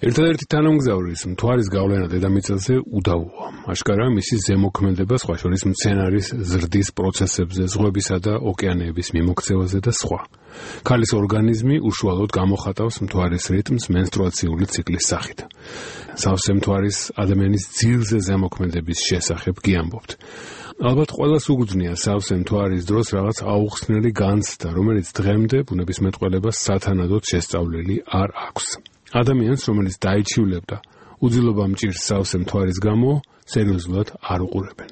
ერთადერთი თანამგზავრის მთვარის გავლენა დედამიწაზე უდავოა. აშკარა მისი ზემოქმედება სხვა შორის მცენარის ზრდის პროცესებზე, ზღვებისა და ოკეანეების მიმოქცევაზე და სხვა. ქალის ორგანიზმი უშუალოდ გამოხატავს მთვარის რიტმს მენსტრუაციული ციკლის სახით. სავსე მთვარის ადამიანის ძილზე ზემოქმედების შესახებ გიამბობთ. ალბათ ყველას უგრძნია სავსე მთვარის დროს რაღაც აუხსნელი განცდა, რომელიც დღემდე ბუნებისმეტყველებას სათანადოდ შესწავლილი არ აქვს. ადამიანს, რომელიც დაიჩივლებდა უძილობა მჭირს სავსე მთვარის გამო, სერიოზულად არ უყურებენ.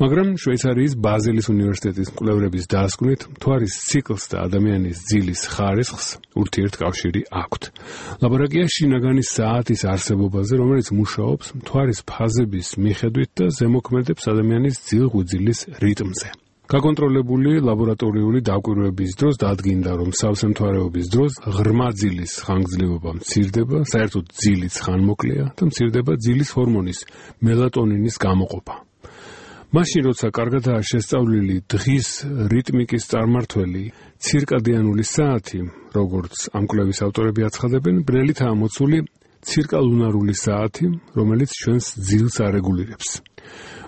მაგრამ შვეიცარიის ბაზელის უნივერსიტეტის მკვლევრების დასკვნით, მთვარის ციკლს და ადამიანის ძილის ხარისხს ურთიერთკავშირი აქვთ. ლაბორატორია შინაგანი საათის არსებობაზე, რომელიც მუშაობს მთვარის ფაზების მიხედვით და ზემოქმედებს ადამიანის ძილ-ღვიძლის რიტმზე. გაკონტროლებული ლაბორატორიული დაკვირვების დროს დადგინდა, რომ სავსე მთვარეობის დროს ღრმა ძილის ხანგრძლივობა მცირდება, საერთოდ ძილიც ხანმოკლეა და მცირდება ძილის ჰორმონის მელატონინის გამოყოფა. მაშინ, როცა კარგადაა შესწავლილი დღის რიტმიკის წარმართველი ცირკადიანული საათი, როგორც ამ კვლევის ავტორები აცხადებენ, ბრელითაა მოცული ცირკალუნარული საათი, რომელიც ჩვენს ძილს არეგულირებს.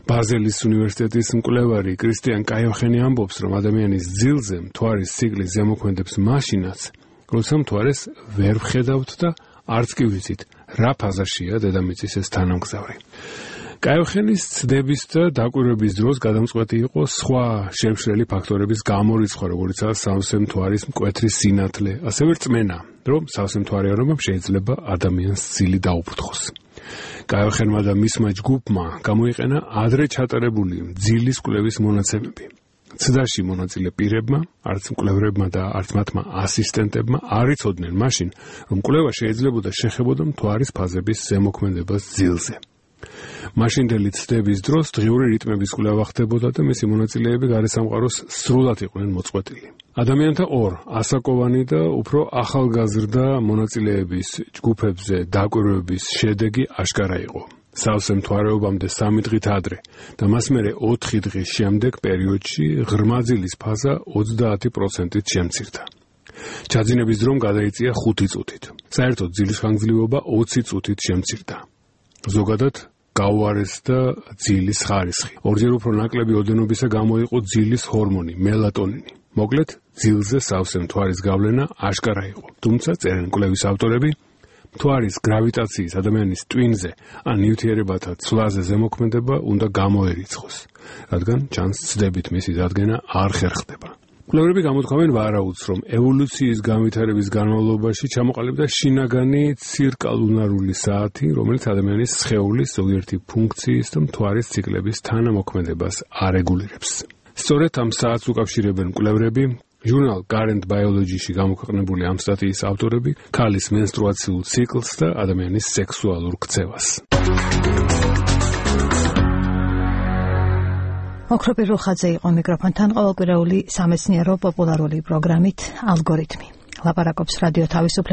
ბაზელის უნივერსიტეტის მკვლევარი კრისტიან კაიოხენი ამბობს, რომ ადამიანის ძილზე მთვარის ციკლი ზემოქმედებს მაშინაც, როცა მთვარეს ვერ ვხედავთ და არც კი ვიცით, რა ფაზაშია დედამიწის ეს თანამგზავრი. კაიოხენის ცდების და დაკვირვების დროს გადამწყვეტი იყო სხვა შემშლელი ფაქტორების გამორიცხვა, როგორიცაა სავსე მთვარის მკვეთრი სინათლე, ასევე რწმენა, რომ სავსე მთვარიანობამ შეიძლება ადამიანს ძილი დაუფრთხოს. კაიოხენმა და მისმა ჯგუფმა გამოიყენა ადრე ჩატარებული ძილის კვლევის მონაცემები. ცდაში მონაწილე პირებმა, არც მკვლევრებმა და არც მათმა ასისტენტებმა არ იცოდნენ მაშინ, რომ კვლევა შეიძლებოდა შეხებოდა მთვარის ფაზების ზემოქმედებას ძილზე. მაშინდელი ცდების დროს დღიური რიტმების კვლევა ხდებოდა და მისი მონაწილეები გარესამყაროს სრულად იყვნენ მოწყვეტილი. ადამიანთა ორ ასაკოვანი და უფრო ახალგაზრდა მონაწილეების ჯგუფებზე დაკვირვების შედეგი აშკარა იყო. სავსე მთვარეობამდე 3 დღით ადრე და მას მერე 4 დღის შემდეგ პერიოდში ღრმა ძილის ფაზა 30%-ით შემცირდა. ჩაძინების დრომ გადაიწია 5 წუთით. საერთოდ ძილის ხანგრძლივობა 20 წუთით შემცირდა. ზოგადად გაუარესდა ძილის ხარისხი. ორჯერ უფრო ნაკლები ოდენობისა გამოიყო ძილის ჰორმონი მელატონინი. მოკლედ, ძილზე სავსე მთვარის გავლენა აშკარა იყო. თუმცა წერენ კვლევის ავტორები, მთვარის გრავიტაციის ადამიანის ტვინზე ან ნივთიერებათა ცვლაზე ზემოქმედება უნდა გამოერიცხოს, რადგან ჩანს ცდებით მისი დადგენა არ ხერხდება. მკვლევრები გამოთქვამენ ვარაუდს, რომ ევოლუციის განვითარების განმავლობაში ჩამოყალიბდა შინაგანი ცირკალუნარული საათი, რომელიც ადამიანის სხეულის ზოგიერთი ფუნქციის და მთვარის ციკლების თანამოქმედებას არეგულირებს. სწორედ ამ საათს უკავშირებენ მკვლევრები, ჟურნალ Current Biology-ში გამოქვეყნებული ამ სტატიის ავტორები, ქალის მენსტრუაციულ ციკლს და ადამიანის სექსუალურ ქცევას. ოქროპირ რუხაძე იყო მიკროფონთან, ყოველკვირეული სამეცნიერო პოპულარული პროგრამით ალგორითმი. ლაპარაკობს რადიო თავისუფლება.